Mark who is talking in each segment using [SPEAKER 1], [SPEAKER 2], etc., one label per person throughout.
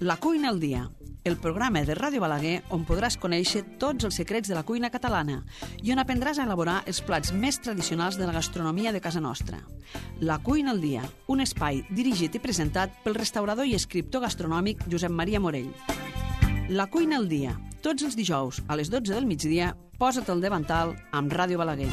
[SPEAKER 1] La cuina al dia, el programa de Ràdio Balaguer on podràs conèixer tots els secrets de la cuina catalana i on aprendràs a elaborar els plats més tradicionals de la gastronomia de casa nostra. La cuina al dia, un espai dirigit i presentat pel restaurador i escriptor gastronòmic Josep Maria Morell. La cuina al dia, tots els dijous a les 12 del migdia, posa't al davantal amb Ràdio Balaguer.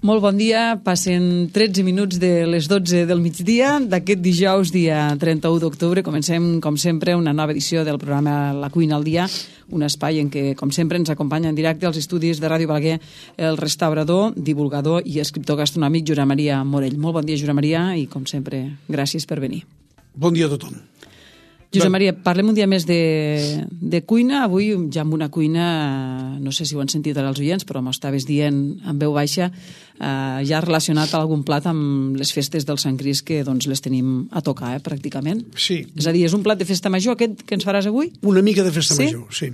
[SPEAKER 2] Molt bon dia, passen 13 minuts de les 12 del migdia d'aquest dijous, dia 31 d'octubre. Comencem, com sempre, una nova edició del programa La cuina al dia, un espai en què, com sempre, ens acompanya en directe als estudis de Ràdio Balaguer el restaurador, divulgador i escriptor gastronòmic Josep Maria Morell. Molt bon dia, Josep Maria, i, com sempre, gràcies per venir.
[SPEAKER 3] Bon dia a tothom.
[SPEAKER 2] Josep Maria, parlem un dia més de cuina. Avui ja amb una cuina, no sé si ho han sentit ara els oients, però m'ho estaves dient en veu baixa, ja relacionat a algun plat amb les festes del Sant Crist, que doncs les tenim a tocar, pràcticament.
[SPEAKER 3] Sí.
[SPEAKER 2] És a dir, és un plat de festa major aquest que ens faràs avui?
[SPEAKER 3] Una mica de festa major, sí.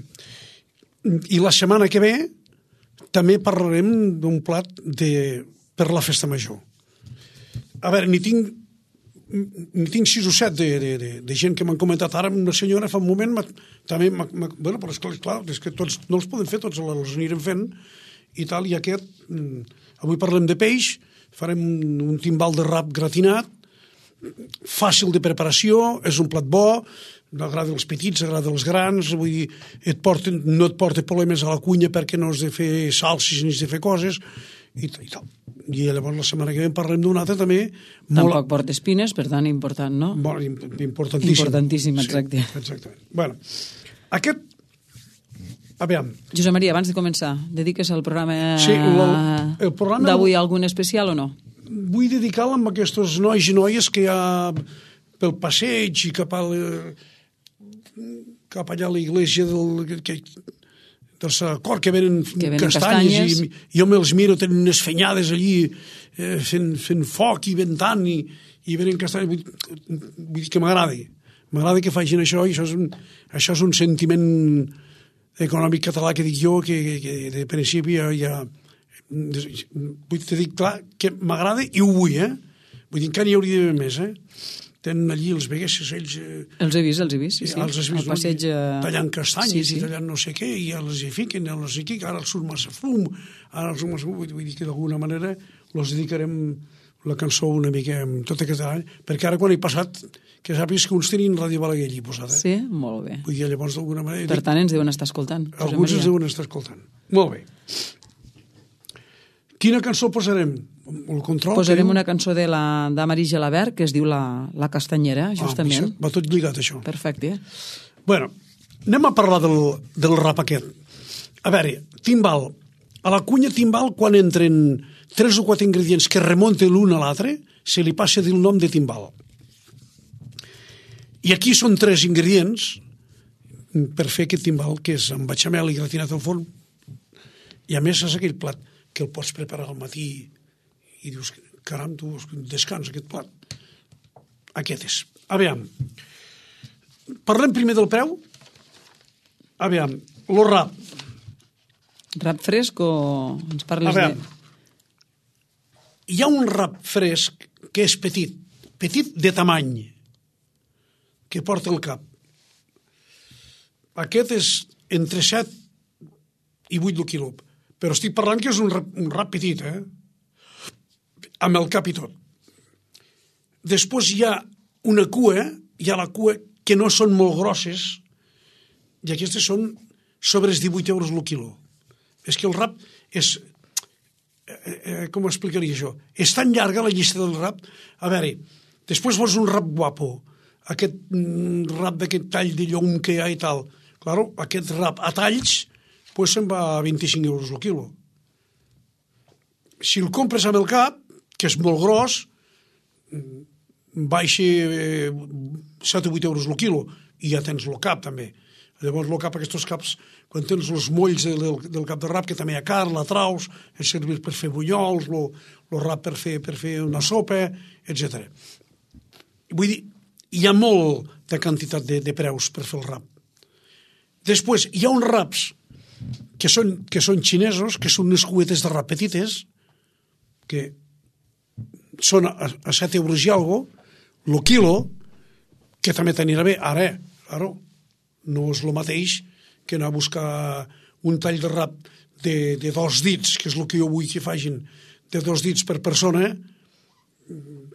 [SPEAKER 3] I la setmana que ve també parlarem d'un plat per la festa major. A veure, n'hi tinc 6 o 7 de gent que m'han comentat. Ara una senyora fa un moment també bueno, però esclar, és que tots no els podem fer, tots els anirem fent i tal, i aquest avui parlem de peix, farem un timbal de rap gratinat, fàcil de preparació, és un plat bo, agrada els petits, agrada els grans, vull dir, no et porta problemes a la cuina perquè no has de fer salses ni has de fer coses i tal. I llavors la setmana que ve parlem d'un altre també.
[SPEAKER 2] Tampoc porta espines, per tant important, no?
[SPEAKER 3] Bueno, importantíssim.
[SPEAKER 2] Importantíssim, exacte.
[SPEAKER 3] Sí, exactament. Bueno, aquest... A veure...
[SPEAKER 2] Josep Maria, abans de començar, dediques el programa,
[SPEAKER 3] el programa
[SPEAKER 2] d'avui a algun especial o no?
[SPEAKER 3] Vull dedicar-lo amb aquests nois i noies que hi ha pel passeig i cap allà a l'església del Sacor, que venen castanyes. I jo me'ls miro, tenen unes fenyades allí fent foc i ventant i venen castanyes. Vull dir que m'agrada que facin això, i això és un sentiment econòmic català que dic jo, que de principi ja vull dir clar que m'agrada i ho vull, vull dir, encara n'hi hauria d'haver més, tenen allí els veguessos, ells...
[SPEAKER 2] Els he vist, sí.
[SPEAKER 3] Els has vist,
[SPEAKER 2] passeig...
[SPEAKER 3] tallant castanyes i tallant no sé què, i els hi fiquen, no sé què, que ara els surt massa fum, vull dir que d'alguna manera els dedicarem la cançó una mica amb tot aquest any, perquè ara quan he passat, que sàpigues que uns tenien Ràdio Balaguer allí posat,
[SPEAKER 2] Sí, molt bé.
[SPEAKER 3] Vull dir, llavors d'alguna manera...
[SPEAKER 2] Per tant, ens deuen estar escoltant.
[SPEAKER 3] Alguns ens deuen estar escoltant. Molt bé. Quina cançó posarem? El control?
[SPEAKER 2] Posarem una cançó de la Marie Gelabert que es diu La Castanyera, justament.
[SPEAKER 3] Va tot lligat, això.
[SPEAKER 2] Perfecte.
[SPEAKER 3] Bueno, anem a parlar del rap aquest. A veure, timbal. A la cuina timbal, quan entren 3 o 4 ingredients que remunten l'un a l'altre, se li passa el nom de timbal. I aquí són 3 ingredients per fer aquest timbal, que és amb bechamel i gratinat al forn. I a més és aquell plat que el pots preparar al matí i dius, caram, tu descans aquest plat. Aquest és. A veure, parlem primer del preu. A veure, el rap.
[SPEAKER 2] Rap fresc o ens parles de...
[SPEAKER 3] Hi ha un rap fresc que és petit de tamany, que porta el cap. Aquest és entre 7 i 8 el quilo, però estic parlant que és un rap petit, amb el cap i tot. Després hi ha una cua, la cua que no són molt grosses, i aquestes són sobre els 18 euros el quilo. És que el rap és... com ho explicaria això? És tan llarga la llista del rap. A veure, després vols un rap guapo, aquest rap d'aquest tall de llom que hi ha i tal. Claro, aquest rap a talls pues se'n va a 25 euros el quilo. Si el compres amb el cap, que és molt gros, baixa 7 o 8 euros el quilo, i ja tens el cap també. Llavors, aquests caps, quan tens els molls del cap de rap, que també hi ha carn, la traus, el servir per fer bunyols, el rap per fer una sopa, etc. Vull dir, hi ha molt de quantitat de preus per fer el rap. Després, hi ha uns raps que són xinesos, que són unes cubetes de rap petites, que són a 7 euros i alguna cosa, el quilo, que també t'anirà bé. Ara, claro, no és el mateix que anar a buscar un tall de rap de 2 dits, que és el que jo vull que facin, de 2 dits per persona,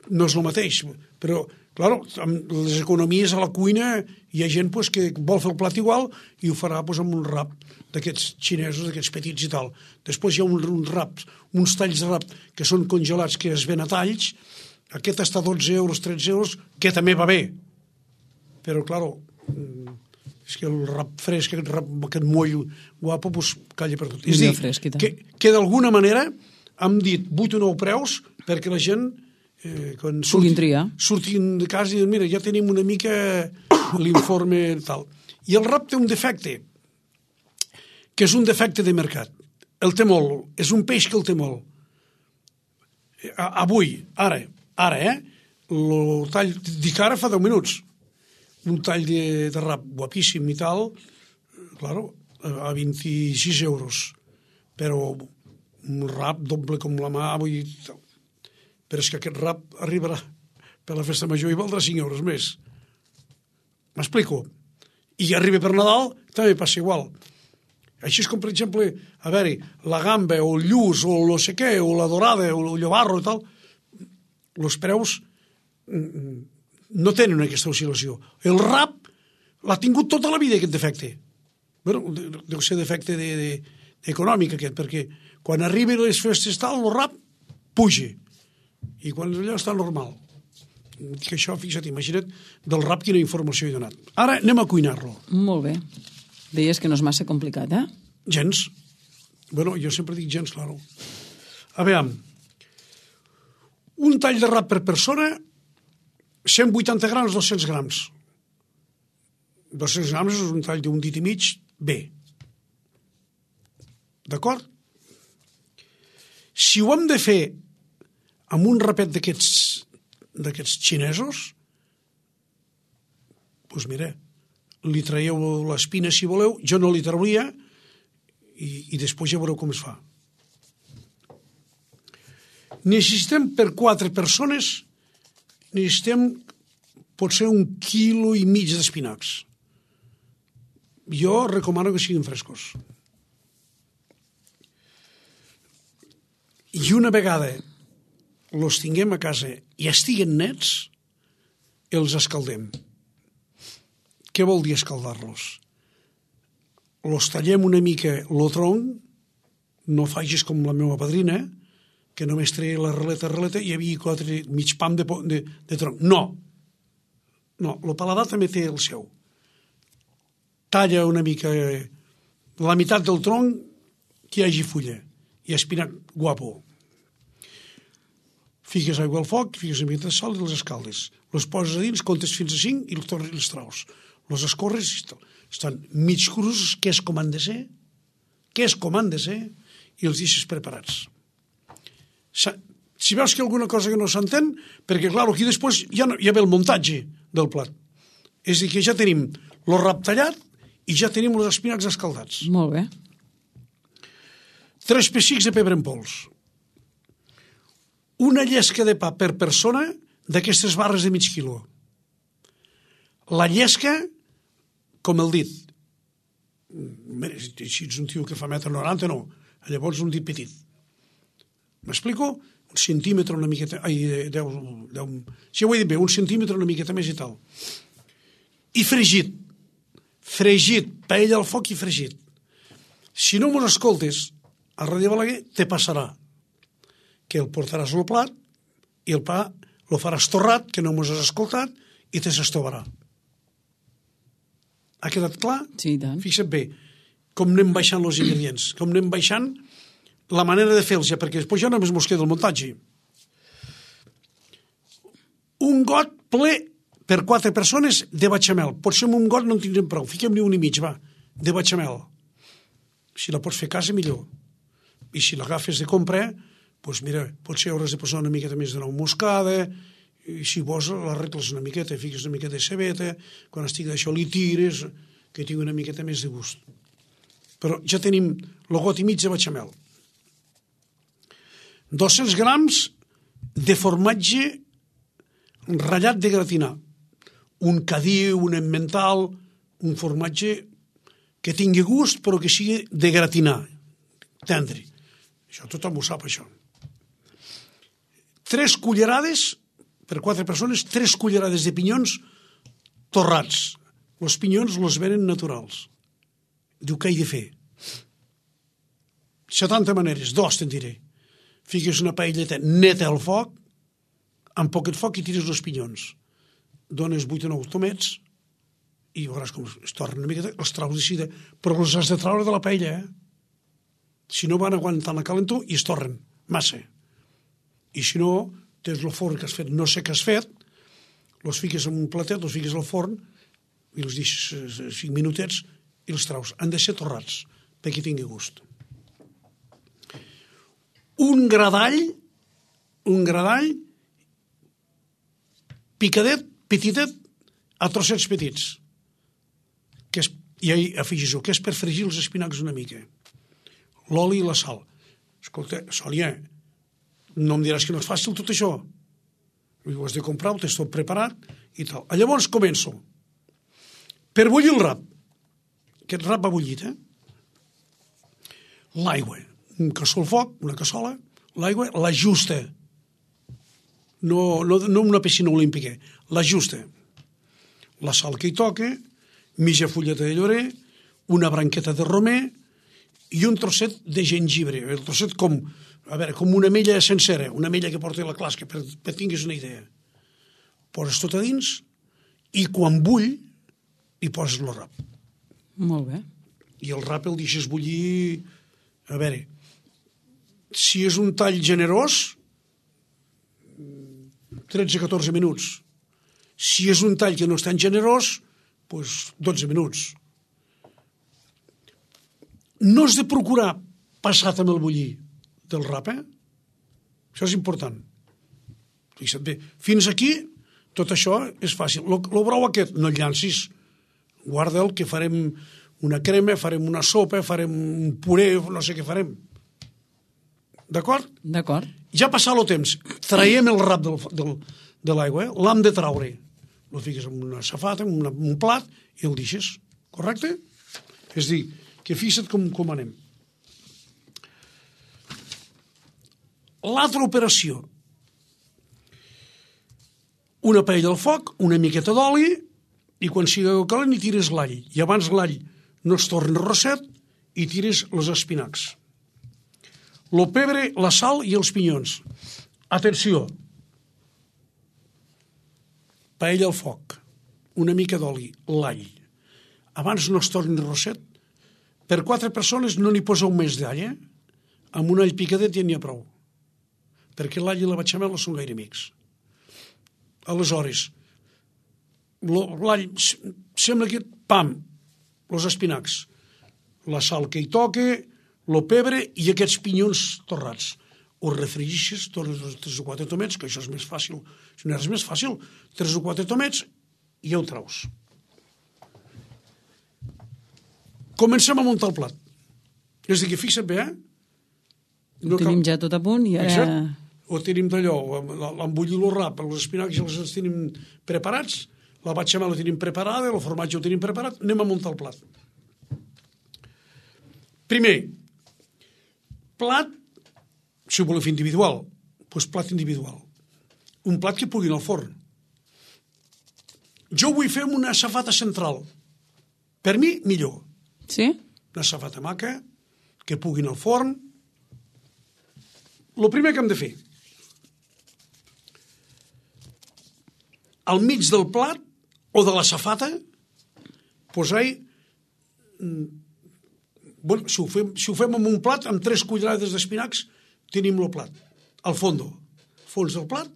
[SPEAKER 3] no és el mateix. Però, clar, amb les economies a la cuina hi ha gent que vol fer el plat igual i ho farà amb un rap d'aquests xinesos, d'aquests petits i tal. Després hi ha uns talls de rap que són congelats, que es ven a talls. Aquest està a 12 euros, 13 euros, que també va bé. Però, clar, és que el rap fresc, aquest moll guapo, calla per tot. És a dir, que d'alguna manera hem dit 8 o 9 preus perquè la gent, quan surtin de casa, i diuen, mira, ja tenim una mica l'informe tal. I el rap té un defecte, que és un defecte de mercat. El té molt, és un peix que el té molt. Avui, ara, el tall, dic ara fa 10 minuts, un tall de rap guapíssim i tal, claro, a 26 euros. Però un rap doble com la mà, vull dir, però és que aquest rap arribarà per la festa major i valdrà 5 euros més. M'explico? I arriba per Nadal, també passa igual. Així és com, per exemple, a veure, la gamba o el lluç o el no sé què, o la dorada o el llobarro i tal, els preus no tenen aquesta oscil·lació. El rap l'ha tingut tota la vida, aquest defecte. Bueno, deu ser defecte econòmic aquest, perquè quan arriben les festes tal, el rap puja. I quan allò està normal. Que això, fixa't, imagina't del rap quina informació he donat. Ara anem a cuinar-lo.
[SPEAKER 2] Molt bé. Deies que no és massa complicat, eh?
[SPEAKER 3] Gens. Bueno, jo sempre dic gens, claro. A veure, un tall de rap per persona, 180 grams, 200 grams. 200 grams és un tall d'un dit i mig, bé. D'acord? Si ho hem de fer amb un rapet d'aquests xinesos, doncs mira, li traieu l'espina si voleu, jo no li trauria i després ja veureu com es fa. Necessitem per 4 persones, necessitem potser 1,5 quilos d'espinacs. Jo recomano que siguin frescos. I una vegada els tinguem a casa i estiguen nets, els escaldem. Què vol dir escaldar-los? Els tallem una mica el tronc, no facis com la meva padrina, que només treia la releta i hi havia mig pam de tronc. No, el paladar també té el seu. Talla una mica la meitat del tronc que hi hagi fulla i espinac guapo. Fiques aigua al foc, fiques una mica de sal i els escaldes. Les poses a dins, comptes fins a 5 i els tornes i els traus. Les escorres estan mig crus, que és com han de ser, i els deixes preparats. Si veus que hi ha alguna cosa que no s'entén, perquè, clar, aquí després ja ve el muntatge del plat. És a dir, que ja tenim el rap tallat i ja tenim els espinacs escaldats.
[SPEAKER 2] Molt bé.
[SPEAKER 3] 3 pessics de pebre en pols. Una llesca de pa per persona d'aquestes barres de mig quilo. La llesca, com el dit. Si ets un tio que fa 1,90 m, no. Llavors un dit petit. M'explico? Un centímetre una miqueta... Si ho he dit bé, un centímetre una miqueta més i tal. I fregit. Fregit. Paella al foc i fregit. Si no mos escoltes, a Ràdio Balaguer te passarà que el portaràs al plat i el pa el faràs torrat, que no mos has escoltat, i te s'estovarà. Ha quedat clar?
[SPEAKER 2] Sí, tant.
[SPEAKER 3] Fixa't bé com anem baixant els ingredients, com anem baixant la manera de fer-los, perquè després ja només mos queda el muntatge. Un got ple per 4 persones de bechamel. Potser amb un got no en tindrem prou. Fiquem-li 1,5, va, de bechamel. Si la pots fer a casa, millor. I si l'agafes de comprar, doncs mira, potser hauràs de posar una miqueta més de nou moscada, i si vols l'arregles una miqueta, fiques una miqueta de cebeta, quan estigui d'això li tires, que tingui una miqueta més de gust. Però ja tenim el got i mig de bechamel. 200 grams de formatge ratllat de gratinar. Un cadiu, un emmental, un formatge que tingui gust però que sigui de gratinar, tendre. Això tothom ho sap, això. 3 cullerades, per 4 persones, 3 cullerades de pinyons torrats. Els pinyons els venen naturals. Diu, què he de fer? 70 maneres, 2 te'n diré. Fiques una paelleta neta al foc, amb poquet foc i tires els pinyons. Dones 8 o 9 tomets i veuràs com es tornen una miqueta, els traus de sida, però els has de traure de la paella, Si no van aguantant la calentor i es torren massa. I si no, tens el forn que has fet, no sé què has fet, els fiques en un platet, els fiques al forn i els deixes 5 minutets i els traus. Han de ser torrats perquè tingui gust. Un gradall picadet, petitet, a trossets petits. I afegis-ho, que és per fregir els espinacs una mica. L'oli i la sal. Escolta, Sònia, no em diràs que no és fàcil tot això. Ho has de comprar, ho tens tot preparat i tal. Llavors començo. Per bullir el rap. Aquest rap va bullit, L'aigua. Un cassó al foc, una cassola, l'aigua, la justa. No una piscina olímpica, la justa. La sal que hi toca, mitja fulleta de llorer, una branqueta de romer i un trosset de gengibre. El trosset com una ametlla sencera, una ametlla que porta la clasca, per tinguis una idea. Poses tot a dins i quan bull hi poses el rap.
[SPEAKER 2] Molt bé.
[SPEAKER 3] I el rap el deixes bullir, si és un tall generós, 13-14 minuts. Si és un tall que no és tan generós, doncs 12 minuts. No has de procurar passat amb el bullir del rap, Això és important. Fixa't bé. Fins aquí, tot això és fàcil. El brou aquest, no el llancis. Guarda'l, que farem una crema, farem una sopa, farem un puré, no sé què farem. D'acord?
[SPEAKER 2] D'acord.
[SPEAKER 3] Ja passat el temps, traiem el rap de l'aigua, l'hem de traure. El fiques en una safata, en un plat, i el deixes. Correcte? És a dir, que fixa't com anem. L'altra operació. Una paella al foc, una miqueta d'oli, i quan sigui calent hi tires l'all. I abans l'all no es torni rosset, i tires els espinacs. El pebre, la sal i els pinyons. Atenció. Paella al foc, una mica d'oli, l'all. Abans no es torni rosset. Per 4 persones no n'hi poseu més d'all, Amb un all picadet ja n'hi ha prou. Perquè l'all i la bechamel no són gaire amics. Aleshores, l'all sembla que, pam, els espinacs, la sal que hi toca, el pebre i aquests pinyons torrats. Ho refregixes, tornes 3 o 4 tomets, que això és més fàcil. Si no és més fàcil, 3 o 4 tomets i ja ho traus. Comencem a muntar el plat. És a dir, que fixa't bé,
[SPEAKER 2] Ho tenim ja tot a punt i ara...
[SPEAKER 3] Exacte. Ho tenim d'allò, l'embullir el rap, els espinacs els tenim preparats, la bechamel la tenim preparada, el formatge ho tenim preparat, anem a muntar el plat. Primer, plat, si ho voleu fer individual, doncs plat individual. Un plat que pugui anar al forn. Jo vull fer una safata central. Per mi, millor.
[SPEAKER 2] Sí?
[SPEAKER 3] Una safata maca, que pugui anar al forn. El primer que hem de fer, al mig del plat o de la safata, posar-hi... Bueno, si ho fem amb un plat, amb 3 cullerades d'espinacs, tenim el plat. Al fons del plat,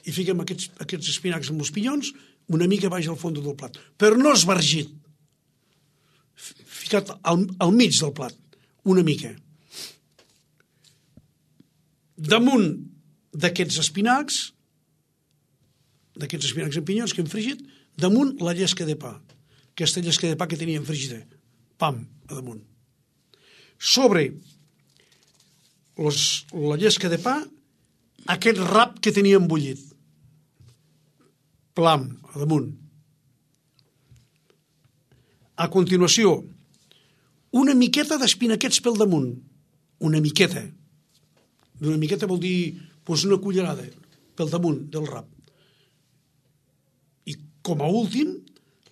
[SPEAKER 3] i fiquem aquests espinacs amb els pinyons, una mica baix al fons del plat, però no esbargit, ficat al mig del plat, una mica. Damunt d'aquests espinacs en pinyons que hem fregit, damunt la llesca de pa, aquesta llesca de pa que teníem fregida, pam, a damunt. Sobre la llesca de pa, aquest rap que teníem bullit, plam, a damunt. A continuació, una miqueta d'espinaquets pel damunt, una miqueta. Una miqueta vol dir una cullerada pel damunt del rap. I com a últim,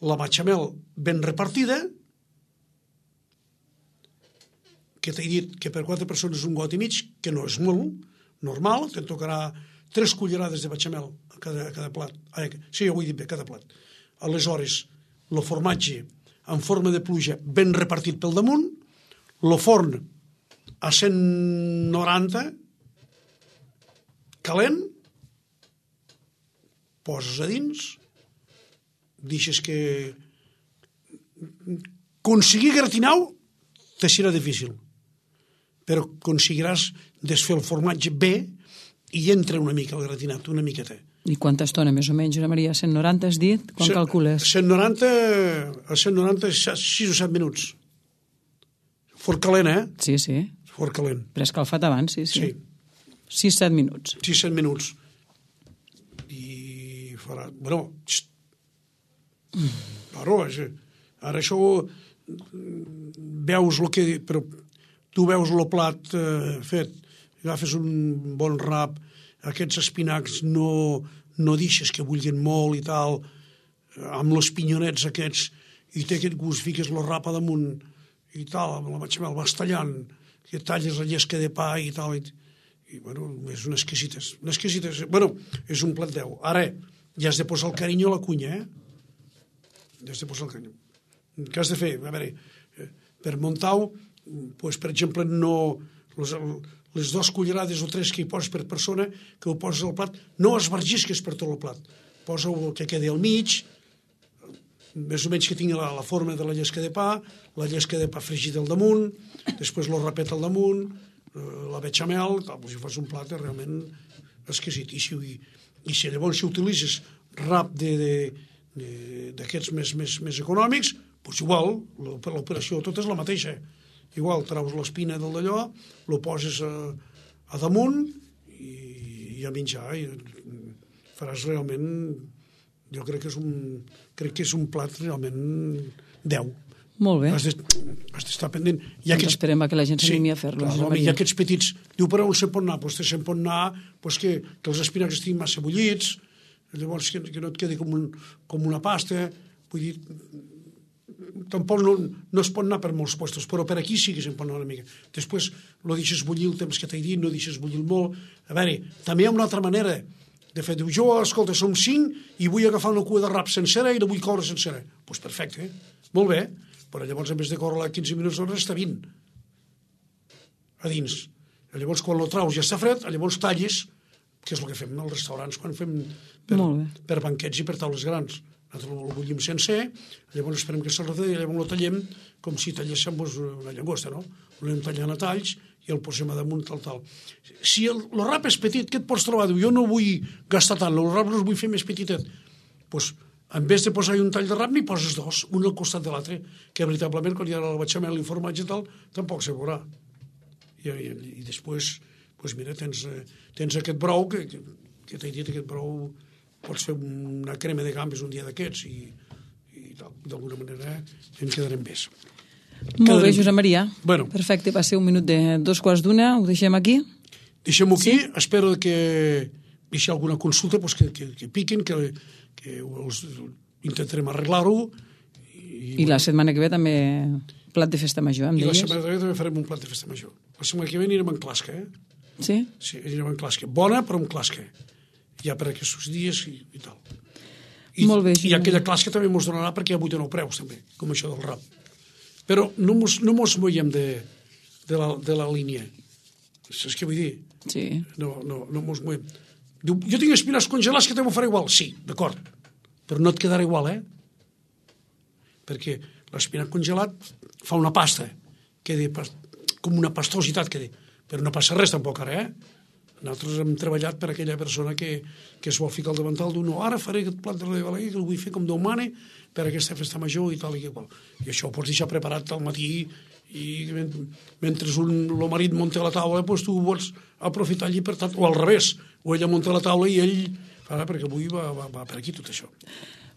[SPEAKER 3] la bechamel ben repartida, que t'he dit que per 4 persones un got i mig, que no és molt, normal, te'n tocarà 3 cullerades de bechamel a cada plat. Sí, ja ho he dit bé, cada plat. Aleshores, el formatge en forma de pluja ben repartit pel damunt, el forn a 190, calent, poses a dins, deixes que... Aconseguir gratinau te serà difícil, però aconseguiràs desfer el formatge bé i entra una mica el gratinat, una miqueta.
[SPEAKER 2] I quanta estona, més o menys, Josep Maria? 190 has dit? Quan calcules?
[SPEAKER 3] 190, 6 o 7 minuts. Fort calent,
[SPEAKER 2] Sí, sí.
[SPEAKER 3] Fort calent.
[SPEAKER 2] Preescalfat abans, sí. 6-7 minuts.
[SPEAKER 3] 6-7 minuts. I farà... Bueno, ara això veus el que... Però tu veus el plat fet, agafes un bon rap, aquests espinacs no deixes que bullin molt i tal, amb els pinyonets aquests, i té aquest gust, fiques el rap a damunt i tal, amb la bechamel vas tallant, que talles la llesca de pa i tal, i bueno, és unes exquisites. Bueno, és un plat 10. Ara, ja has de posar el carinyo a la cunya, Ja has de posar el carinyo. Què has de fer? A veure, per muntar-ho, per exemple, no... Les 2 cullerades o 3 que hi poses per persona, que ho poses al plat, no esbargisques per tot el plat. Posa-ho que quedi al mig, més o menys que tingui la forma de la llesca de pa, la llesca de pa fregida al damunt, després el rapet al damunt, la bechamel, si fas un plat realment exquisit. I si llavors utilitzes rap d'aquests més econòmics, doncs igual, l'operació tota és la mateixa. Igual, traus l'espina del d'allò, lo poses a damunt i a menjar. I faràs realment... Jo crec que és un plat realment 10.
[SPEAKER 2] Molt bé.
[SPEAKER 3] Has d'estar pendent.
[SPEAKER 2] Doncs esperem que la gent s'animi a fer-lo.
[SPEAKER 3] Hi ha aquests petits... Diu, però on se'n pot anar? Doncs se'n pot anar que els espinacs estiguin massa bullits, llavors que no et quedi com una pasta. Vull dir, tampoc no es pot anar per molts puestos, però per aquí sí que se'n pot anar una mica. Després no deixes bullir el temps que t'he dit, no deixes bullir molt. A veure, també hi ha una altra manera de fer. Diu, jo, escolta, som 5 i vull agafar una cua de rap sencera i la vull coure sencera. Doncs perfecte, molt bé, però llavors en vez de córrer-la 15 minuts d'hora està 20 a dins. Llavors quan lo traus ja està fred, llavors talles, que és el que fem als restaurants quan fem per banquets i per taules grans. Nosaltres el bullim sencer, llavors esperem que s'arrefredi i llavors el tallem com si talléssim una llagosta, no? L'anem tallant a talls i el posem a damunt tal. Si el rap és petit, què et pots trobar? Diu, jo no vull gastar tant, el rap no el vull fer més petitet. Doncs, en vez de posar-hi un tall de rap, n'hi poses 2, un al costat de l'altre, que veritablement, quan hi ha la bechamel i el formatge i tal, tampoc se veurà. I després, doncs mira, tens aquest brou, que t'he dit, aquest brou, pots fer una crema de gambes un dia d'aquests i d'alguna manera en quedarem bé.
[SPEAKER 2] Molt bé, Josep Maria.
[SPEAKER 3] Bueno.
[SPEAKER 2] Perfecte, va ser un minut de 2:15, ho deixem aquí?
[SPEAKER 3] Deixem-ho aquí, espero que si hi ha alguna consulta que piquin, que intentarem arreglar-ho.
[SPEAKER 2] I la setmana que ve també plat de festa major, em deies?
[SPEAKER 3] I la setmana que ve també farem un plat de festa major. La setmana que ve anirem en clasca,
[SPEAKER 2] Sí?
[SPEAKER 3] Sí, anirem en clasca. Bona, però en clasca. Ja per aquests dies i tal.
[SPEAKER 2] Molt bé,
[SPEAKER 3] I aquella clasca també ens donarà perquè hi ha 8 o 9 preus, també, com això del rap. Però no mos movem de la línia. Saps què vull dir?
[SPEAKER 2] Sí.
[SPEAKER 3] No mos movem. Diu, jo tinc espinacs congelats que te m'ho faré igual. Sí, d'acord. però no et quedarà igual, perquè l'espinac congelat fa una pasta, com una pastositat, però no passa res tampoc ara, Nosaltres hem treballat per aquella persona que es vol ficar al davantal d'un ara faré aquest plat de la Balaguer que el vull fer com Déu mana per aquesta festa major i tal i qual. I això ho pots deixar preparat al matí i mentre el marit munta la taula doncs tu ho vols aprofitar llibertat, o al revés, o ella munta la taula i ell farà perquè avui va per aquí tot això.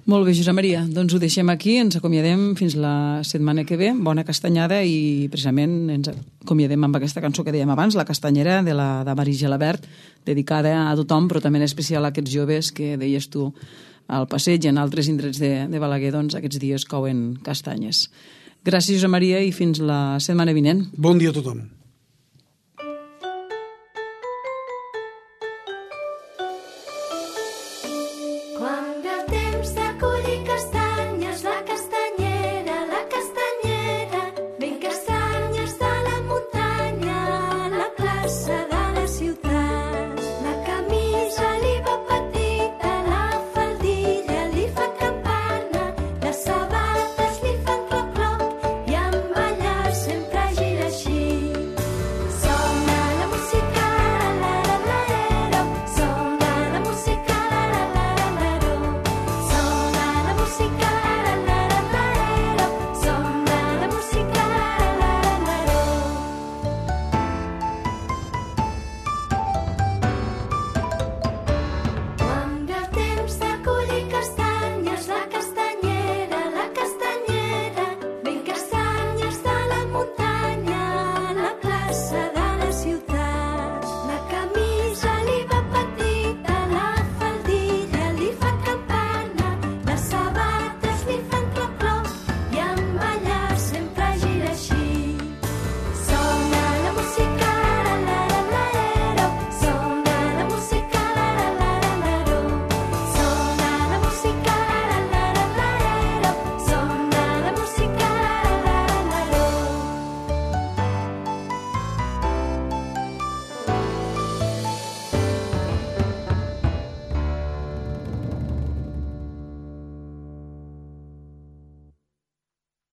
[SPEAKER 2] Molt bé, Josep Maria, doncs ho deixem aquí, ens acomiadem fins la setmana que ve, bona castanyada i precisament ens acomiadem amb aquesta cançó que dèiem abans, La castanyera de Marí Gelabert, dedicada a tothom, però també en especial a aquests joves que deies tu al passeig i en altres indrets de Balaguer, doncs aquests dies couen castanyes. Gràcies, Josep Maria, i fins la setmana vinent.
[SPEAKER 3] Bon dia a tothom.